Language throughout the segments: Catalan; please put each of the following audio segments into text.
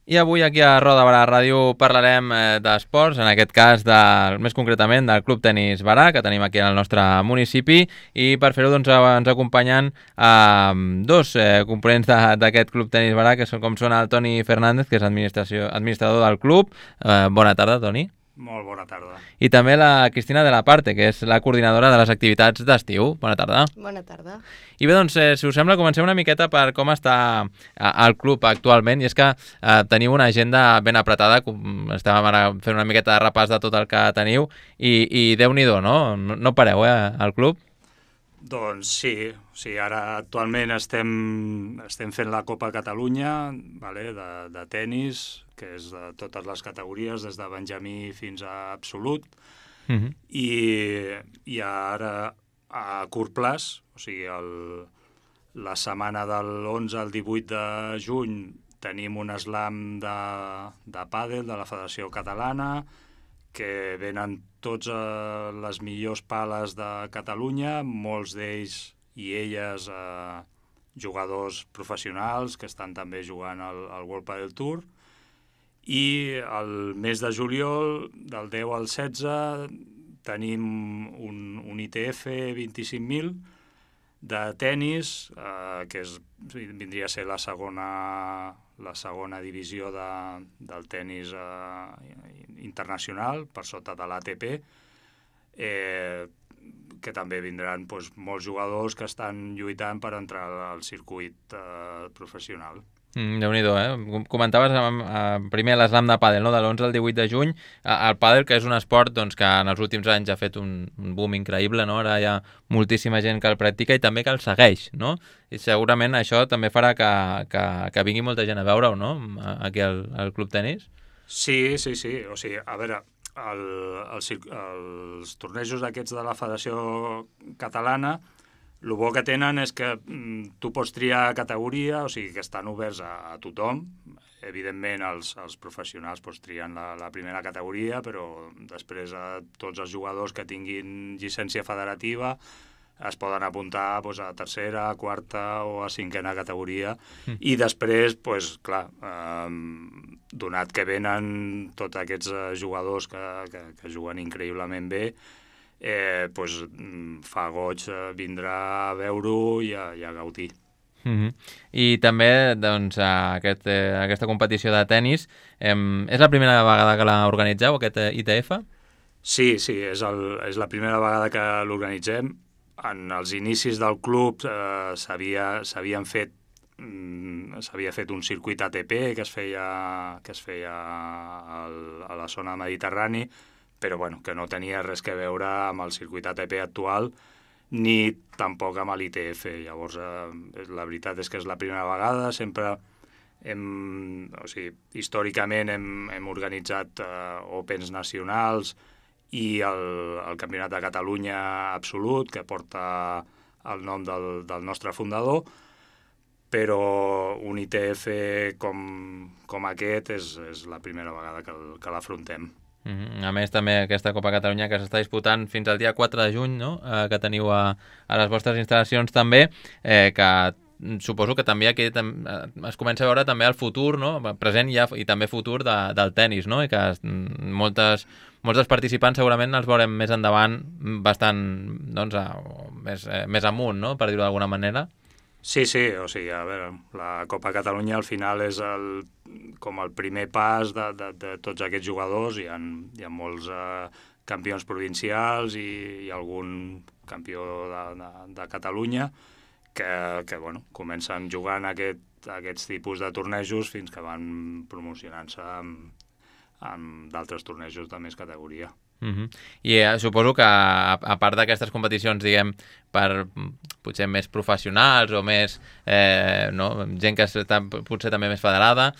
I avui aquí a Roda Barà Ràdio parlarem d'esports, en aquest cas més concretament del Club Tenis Barà, que tenim aquí al nostre municipi, i per fer-ho doncs, ens acompanyen dos components d'aquest Club Tenis Barà, que com són el Toni Fernández, que és administrador del club. Bona tarda, Toni. Molt bona tarda. I també la Cristina de la Parte, que és la coordinadora de les activitats d'estiu. Bona tarda. Bona tarda. I bé, doncs, si us sembla, comencem una miqueta per com està el club actualment, i és que teniu una agenda ben apretada, estàvem ara fent una miqueta de repàs de tot el que teniu, i Déu-n'hi-do, no? No pareu, al club? Doncs sí, ara actualment estem fent la Copa Catalunya, de tennis, que és de totes les categories, des de benjamí fins a absolut, i ara a curt plaç, o sigui, la setmana de l'11 al 18 de juny tenim un slam de pàdel de la Federació Catalana, que venen tots les millors pales de Catalunya, molts d'ells i elles jugadors professionals que estan també jugant al World Padel Tour. I el mes de juliol, del 10 al 16, tenim un ITF 25.000 de tennis, que vindria a ser la segona divisió del tennis internacional, per sota de l'ATP, que també vindran molts jugadors que estan lluitant per entrar al circuit professional. Déu-n'hi-do, Comentaves primer l'slam de pàdel, no? De l'11 al 18 de juny. El pàdel, que és un esport doncs, que en els últims anys ha fet un boom increïble, no? Ara hi ha moltíssima gent que el practica i també que el segueix, no? I segurament això també farà que vingui molta gent a veure-ho, no? Aquí al Club Tenis. Sí. O sigui, a veure, els tornejos aquests de la Federació Catalana, el bo que tenen és que tu pots triar categoria, o sigui que estan oberts a tothom. Evidentment, els professionals trien la primera categoria, però després tots els jugadors que tinguin llicència federativa es poden apuntar a tercera, a quarta o a cinquena categoria. I després, clar, donat que venen tots aquests jugadors que juguen increïblement bé, fa goig vindrà a veure-ho i a gaudir. I també doncs, aquesta competició de tennis és la primera vegada que l'organitzeu, aquest ITF? Sí, és la primera vegada que l'organitzem. En els inicis del club s'havia fet un circuit ATP que es feia a la zona mediterrani, però que no tenia res a veure amb el circuit ATP actual ni tampoc amb l'ITF. Llavors, la veritat és que és la primera vegada. Sempre històricament hem organitzat Opens nacionals i el Campionat de Catalunya absolut, que porta el nom del nostre fundador, però un ITF com aquest és la primera vegada que l'afrontem. A més, també aquesta Copa Catalunya que s'està disputant fins al dia 4 de juny, no? Que teniu a les vostres instal·lacions també, que suposo que també aquí es comença a veure també el futur, no? Present i també futur del tennis, no? I que molts dels participants segurament els veurem més endavant bastant més amunt, no? Per dir-ho d'alguna manera. Sí, o sigui, a veure, la Copa Catalunya al final és com el primer pas de tots aquests jugadors. Hi ha molts campions provincials i algun campió de Catalunya que comencen jugant aquests tipus de tornejos fins que van promocionant-se amb d'altres tornejos de més categoria. I suposo que a part d'aquestes competicions, diguem, per potser més professionals o més gent que està potser també més federada,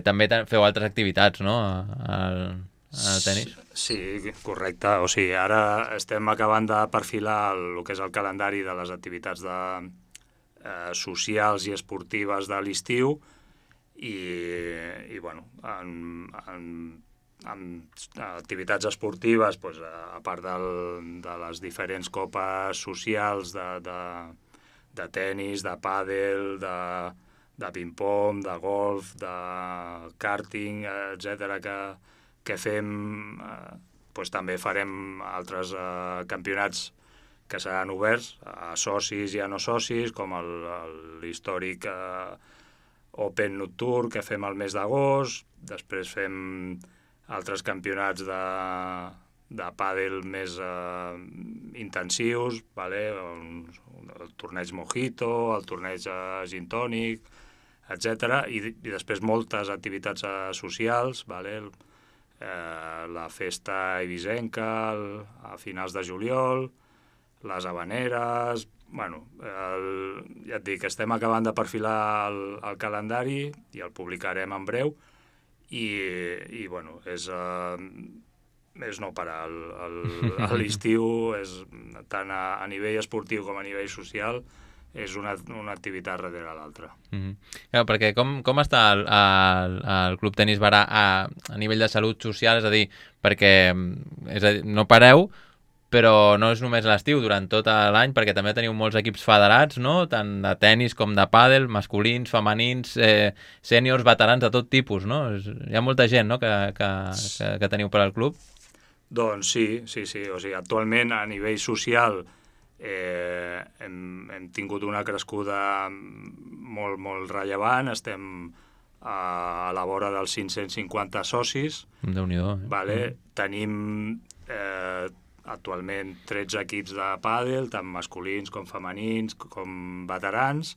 també feu altres activitats, no?, al tenis. Sí, correcte. O sigui, ara estem acabant de perfilar el que és el calendari de les activitats socials i esportives de l'estiu i amb activitats esportives, a part de les diferents copes socials de tennis, de pàdel, de ping-pong, de golf, de karting, etc que fem, doncs també farem altres campionats que seran oberts a socis i a no socis, com l'històric Open Nocturn que fem al mes d'agost, després fem altres campionats de pàdel més intensius, vale? El torneig Mojito, el torneig Gin Tònic, etc. I després moltes activitats socials, vale? La festa eivissenca a finals de juliol, les habaneres... Bueno, ja et dic, estem acabant de perfilar el calendari i el publicarem en breu i bueno, és no parar. L'estiu, tant a nivell esportiu com a nivell social, és una activitat darrere l'altra. Clar, perquè com està el Club Tenis Barà a nivell de salut social? És a dir, perquè no pareu, però no és només l'estiu, durant tot l'any, perquè també teniu molts equips federats, no? Tant de tenis com de pàdel, masculins, femenins, sèniors, veterans, de tot tipus, no? Hi ha molta gent, no?, que teniu per al club. Doncs sí. O sigui, actualment, a nivell social, hem tingut una crescuda molt, molt rellevant. Estem a la vora dels 550 socis. Déu-n'hi-do. Vale? Tenim actualment 13 equips de pàdel, tant masculins com femenins, com veterans,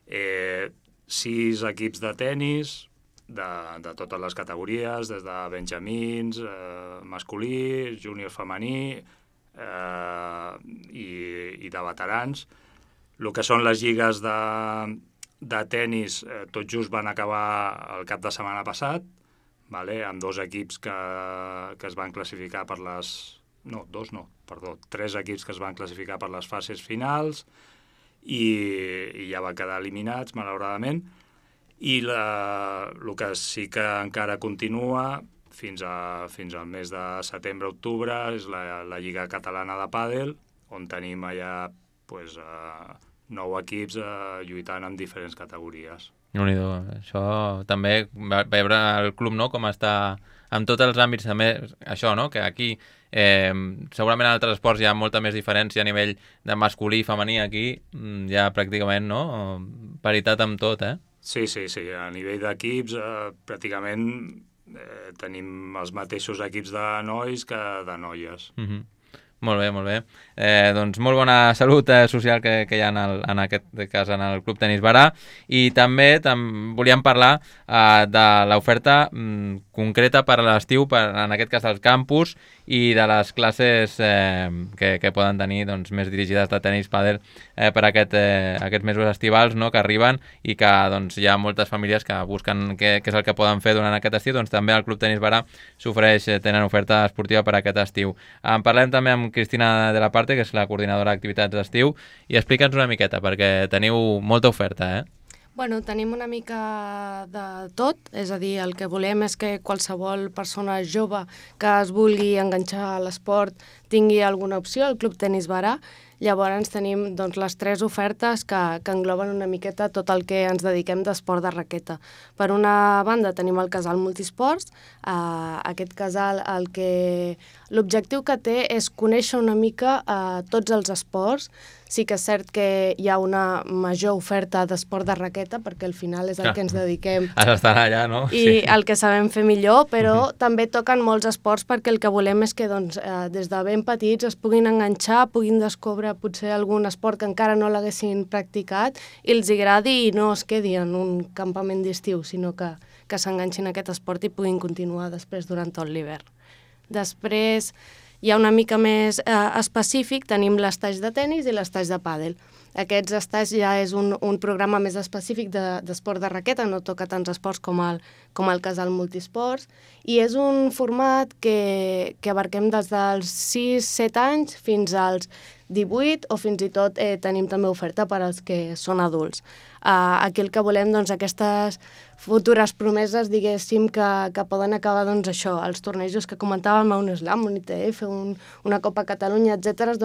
6 equips de tenis, de totes les categories, des de benjamins, masculí, júnior femení i de veterans. El que són les lligues de tenis, tot just van acabar el cap de setmana passat, vale? Amb 2 equips que es van classificar per les... No, 2 no, perdó, 3 equips que es van classificar per les fases finals i ja van quedar eliminats, malauradament. I el que sí que encara continua fins al mes de setembre-octubre és la Lliga Catalana de Pàdel, on tenim allà 9 equips lluitant en diferents categories. Déu-n'hi-do. Això també, veure el club, no?, com està en tots els àmbits, també això, no?, que aquí segurament en altres esports hi ha molta més diferència a nivell de masculí i femení. Aquí hi ha pràcticament, no?, paritat amb tot, Sí, a nivell d'equips pràcticament tenim els mateixos equips de nois que de noies. Molt bé. Doncs molt bona salut social que hi ha en aquest cas en el Club Tenis Barà. I també volíem parlar de l'oferta concreta per a l'estiu, en aquest cas del campus, i de les classes que poden tenir més dirigides de tenis pàdel per aquests mesos estivals, no?, que arriben, i que hi ha moltes famílies que busquen què és el que poden fer durant aquest estiu. Doncs també el Club Tenis Barà tenen oferta esportiva per aquest estiu. En parlem també amb Cristina de la Parte, que és la coordinadora d'activitats d'estiu, i explica'ns una miqueta, perquè teniu molta oferta, Bueno, tenim una mica de tot, és a dir, el que volem és que qualsevol persona jove que es vulgui enganxar a l'esport tingui alguna opció al Club Tenis Barà. Llavors tenim les 3 ofertes que engloben una miqueta tot el que ens dediquem d'esport de raqueta. Per una banda tenim el casal multisports. Aquest casal l'objectiu que té és conèixer una mica tots els esports. Sí que és cert que hi ha una major oferta d'esport de raqueta, perquè al final és el que ens dediquem. Has d'estar allà, no? I el que sabem fer millor, però també toquen molts esports, perquè el que volem és que des de ben petits es puguin enganxar, puguin descobrir potser algun esport que encara no l'haguessin practicat i els agradi i no es quedi en un campament d'estiu, sinó que s'enganxin a aquest esport i puguin continuar després durant tot l'hivern. Després, hi ha una mica més específic, tenim l'estage de tenis i l'estage de pàdel. Aquests estages ja és un programa més específic d'esport de raqueta, no toca tants esports com el casal multisports, i és un format que abarquem des dels 6-7 anys fins als 18, o fins i tot tenim també oferta per als que són adults. Aquí el que volem, aquestes futures promeses, diguéssim, que poden acabar, això, els tornejos que comentàvem, un slam, un ITF, una Copa Catalunya, etc.,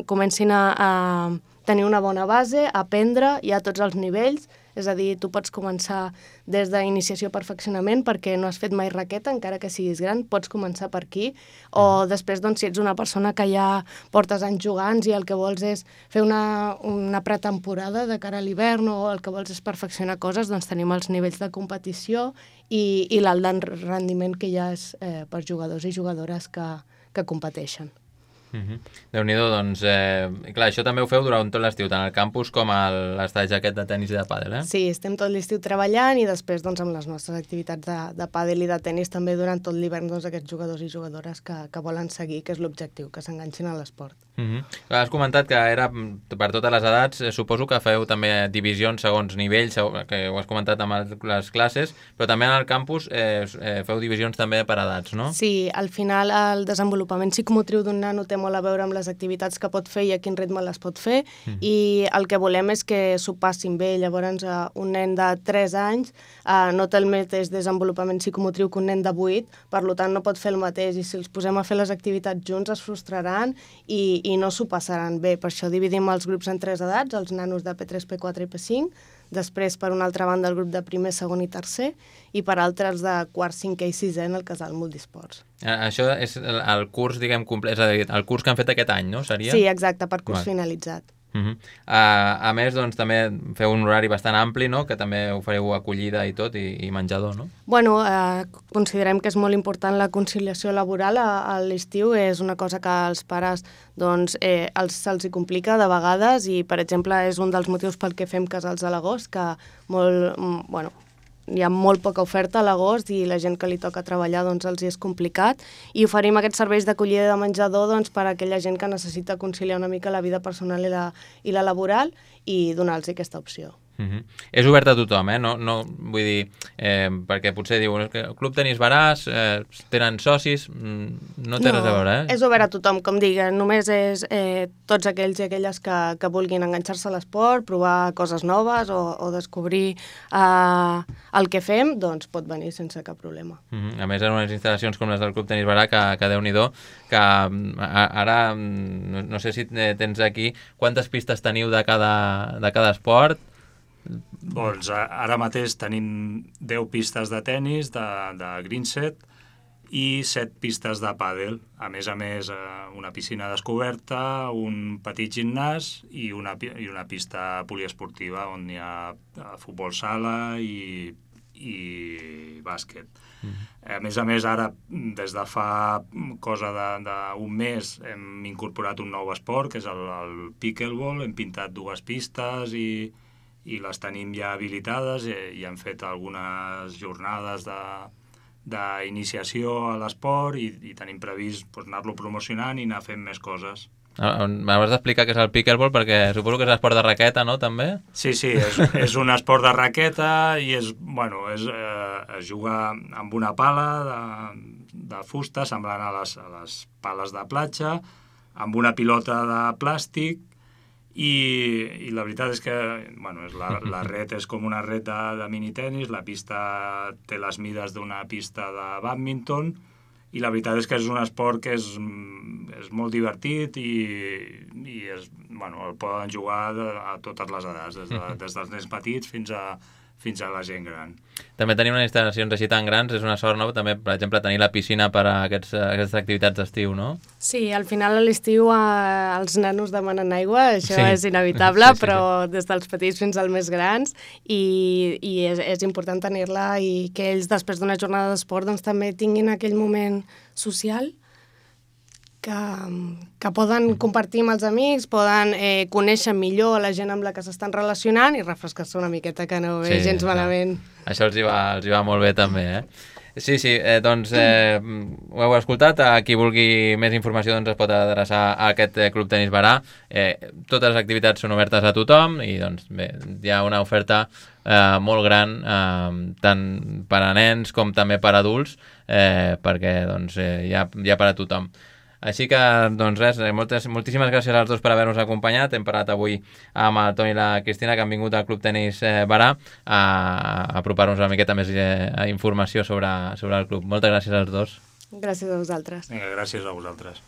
comencin a tenir una bona base, a aprendre, i a tots els nivells, és a dir, tu pots començar des d'iniciació perfeccionament perquè no has fet mai raqueta, encara que siguis gran, pots començar per aquí, o després, doncs, si ets una persona que ja portes anys jugant i el que vols és fer una pretemporada de cara a l'hivern o el que vols és perfeccionar coses, doncs tenim els nivells de competició i l'alt rendiment que hi ha és per jugadors i jugadores que competeixen. Déu-n'hi-do, doncs, clar, això també ho feu durant tot l'estiu, tant al campus com a l'estatge aquest de tenis i de pàdel, eh? Sí, estem tot l'estiu treballant i després, doncs, amb les nostres activitats de pàdel i de tenis també durant tot l'hivern, doncs, aquests jugadors i jugadores que volen seguir, que és l'objectiu, que s'enganxin a l'esport. Has comentat que era per totes les edats, suposo que feu també divisions segons nivells, que ho has comentat amb les classes, però també en el campus feu divisions també per edats, no? Sí, al final el desenvolupament psicomotriu d'un nano té molt a veure amb les activitats que pot fer i a quin ritme les pot fer, i el que volem és que s'ho passin bé. Llavors, un nen de 3 anys no té el mateix desenvolupament psicomotriu que un nen de 8, per tant no pot fer el mateix, i si els posem a fer les activitats junts es frustraran i no s'ho passaran bé. Per això dividim els grups en 3 edats, els nanos de P3, P4 i P5, després, per una altra banda, el grup de primer, segon i tercer, i per altres de quart, cinquè i sisè en el casal multisports. Això és el curs, diguem, complet, és a dir, el curs que han fet aquest any, no? Seria? Sí, exacte, per curs finalitzat. A més, doncs, també feu un horari bastant ampli, no? Que també ofereu acollida i tot, i menjador, no? Bueno, considerem que és molt important la conciliació laboral a l'estiu. És una cosa que als pares doncs, se'ls hi complica de vegades i, per exemple, és un dels motius pel que fem casals a l'agost, que hi ha molt poca oferta a l'agost i la gent que li toca treballar doncs, els hi és complicat, i oferim aquests serveis d'acollida de menjador doncs, per a aquella gent que necessita conciliar una mica la vida personal i la laboral, i donar-los aquesta opció. És obert a tothom, no, vull dir, perquè potser diuen que el Club Tenis Baràs tenen socis, no té res a veure, és obert a tothom, com dic, només és tots aquells i aquelles que vulguin enganxar-se a l'esport, provar coses noves o descobrir el que fem, doncs pot venir sense cap problema. A més, en unes instal·lacions com les del Club Tenis Barà, que Déu-n'hi-do, que ara no sé si tens aquí quantes pistes teniu de cada esport. Doncs ara mateix tenim 10 pistes de tennis, de green set, i 7 pistes de pàdel. A més, una piscina descoberta, un petit gimnàs i una pista poliesportiva on hi ha futbol sala i bàsquet. A més, ara, des de fa cosa d'un mes, hem incorporat un nou esport, que és el pickleball. Hem pintat 2 pistes i les tenim ja habilitades i hem fet algunes jornades d'iniciació a l'esport i tenim previst anar-lo promocionant i anar fent més coses. M'has d'explicar què és el pickleball, perquè suposo que és l'esport de raqueta, no, també? Sí, és un esport de raqueta i es juga amb una pala de fusta semblant a les pales de platja, amb una pilota de plàstic, i la veritat és que la ret és com una ret de minitenis, la pista té les mides d'una pista de bàdminton, i la veritat és que és un esport que és molt divertit i el poden jugar a totes les edats, des dels nens petits fins a la gent gran. També tenim unes instal·lacions així tan grans, és una sort, no? També, per exemple, tenir la piscina per a aquestes activitats d'estiu, no? Sí, al final a l'estiu els nanos demanen aigua, això és inevitable, però des dels petits fins als més grans, i és important tenir-la i que ells, després d'una jornada d'esport, doncs també tinguin aquell moment social que poden compartir amb els amics, poden conèixer millor la gent amb la que s'estan relacionant i refrescar-se una miqueta, que no ve gens malament. Això els hi va molt bé també, Sí, doncs ho heu escoltat. A qui vulgui més informació doncs es pot adreçar a aquest Club Tenis Barà. Totes les activitats són obertes a tothom i doncs bé, hi ha una oferta molt gran, tant per a nens com també per a adults, perquè doncs hi ha per a tothom. Així que, doncs res, moltíssimes gràcies als dos per haver-nos acompanyat. Hem parlat avui amb el Toni i la Cristina, que han vingut al Club Tenis Barà a apropar-nos una miqueta més informació sobre el club. Moltes gràcies als dos. Gràcies a vosaltres. Vinga, gràcies a vosaltres.